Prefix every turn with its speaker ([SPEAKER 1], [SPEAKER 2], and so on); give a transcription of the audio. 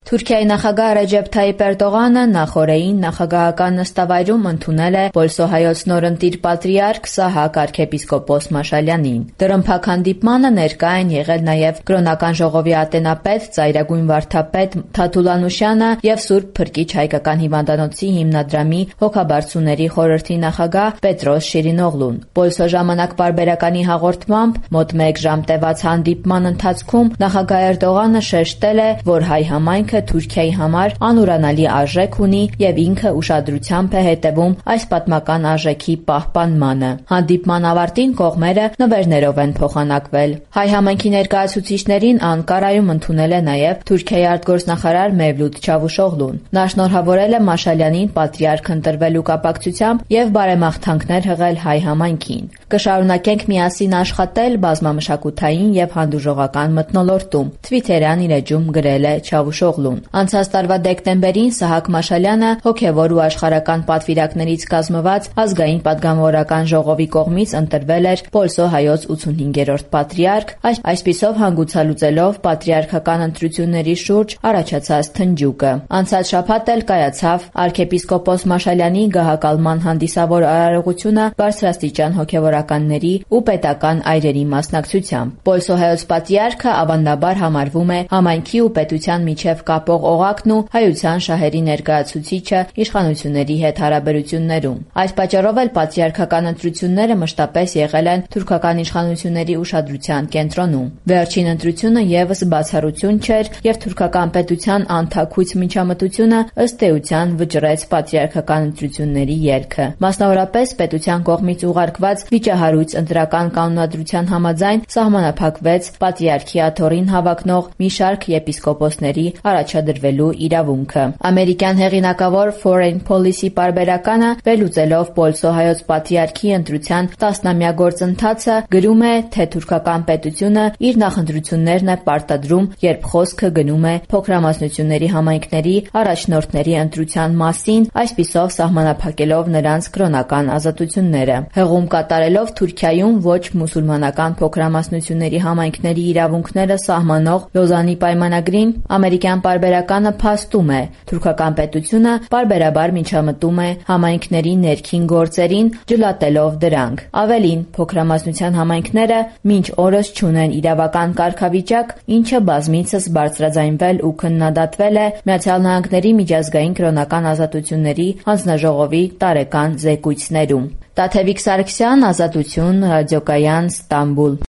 [SPEAKER 1] Թուրքիայի նախագահ Ռեջեփ Թայիփ Էրդողանը նախօրեին նախագահական նստավայրում ընդունել է Պոլսոհայոց նորընտիր պատրիարք Սահակ arczepiskopos Մաշալյանին։ Դռնփակ հանդիպմանը ներկա են եղել նաև կրոնական ժողովի ատենապետ, ծայրագույն վարդապետ Թաթուլ Անուշյանը եւ Սուրբ Փրկիչ հայկական հիվանդանոցի հիմնադրամի հոգաբարձուների խորհրդի նախագահ Պետրոս Շիրինօղլուն։ Պոլսո ժամանակ պարբերականի հաղորդմամբ մոտ 1 ժամ տևած հանդիպման ընթացքում նախագահ Էրդողանը շեշտել է, որ հայ համայնքը Թուրքիայի համար անուրանալի արժեք ունի եւ ինքը ուշադրությամբ է հետևում այս պատմական արժեքի պահպանմանը։ Հանդիպման ավարտին կողմերը նվերներով են փոխանակվել։ Հայ համայնքի ներկայացուցիչներին Անկարայում ընդունել է նաեւ Թուրքիայի արտգործնախարար Մևլութ Չավուշօղլուն։ Նա շնորհավորել է Մաշալյանին պատրիարք ընտրվելու կապակցությամբ եւ բարեմաղթանքներ հղել հայ համայնքին։ Կշարունակենք միասին աշխատել բազմամշակութային եւ հանդուրժողական մթնոլորտում, Twitter-յան իր էջում գրել է Չավուշօղլուն։ Անցած տարվա դեկտեմբերին Սահակ Մաշալյանը հոգևոր ու աշխարհական պատվիրակներից կազմված ազգային պատգամավորական ժողովի կողմից ընտրվել էր Պոլսո հայոց 85-րդ պատրիարք, այսպիսով հանգուցալուծելով պատրիարքական ընտրությունների շուրջ առաջացած թնջուկը։ Անցած շաբաթ էլ կայացավ arczepiskopos Մաշալյանի գահակալման հանդիսավոր արարողությունը բարձրաստիճան հոգևորականների ու պետական այրերի մասնակցությամբ։ Պոլսո հայոց պատրիարքը ավանդաբար համարվում է համայնքի ու պետության միջև կապող օղակն ու հայության շահերի ներկայացուցիչը իշխանությունների հետ հարաբերություններում։ Այս պատճառով էլ պատրիարքական ընտրությունները մշտապես եղել են թուրքական իշխանությունների ուշադրության կենտրոնում։ Վերջին ընտրությունը եւս բացառություն չէր, եւ թուրքական պետության անթաքույց միջամտությունը ըստ էության վճռեց պատրիարքական ընտրությունների ելքը։ Մասնավորապես պետության կողմից ուղարկված վիճահարույց ընտրական կանոնադրության համաձայն սահմանափակվեց պատրիարքի աթոռին հավակնող մի շարք եպիսկոպոսների առաջադրվելու իրավունքը։ Ամերիկյան հեղինակավոր Foreign Policy պարբերականը վերլուծելով Պոլսո հայոց պատրիարքի ընտրության 10-ամյա գործընթացը գրում է, թե թուրքական պետությունը իր նախընտրություններն է պարտադրում, երբ խոսքը գնում է փոքրամասնությունների համայնքների առաջնորդների ընտրության մասին, այսպիսով սահմանափակելով նրանց կրոնական ազատությունները։ Հղում կատարելով Թուրքիայում ոչ մուսուլմանական փոքրամասնությունների համայնքների իրավունքները սահմանող Լոզանի պայմանագրին ամերիկյան պարբերականը փաստում է, թուրքական պետությունը պարբերաբար միջամտում է համայնքների ներքին գործերին, ջլատելով դրանք։ Ավելին, փոքրամասնության համայնքները մինչ օրս չունեն իրավական կարգավիճակ, ինչը բազմիցս բարձրաձայնվել ու քննադատվել է ԱՄՆ միջազգային կրոնական ազատությունների հանձնաժողովի տարեկան զեկույցներում։ Տաթևիկ Սարգսյան, Ազատություն, Ռադիոկայան, Ստամբուլ։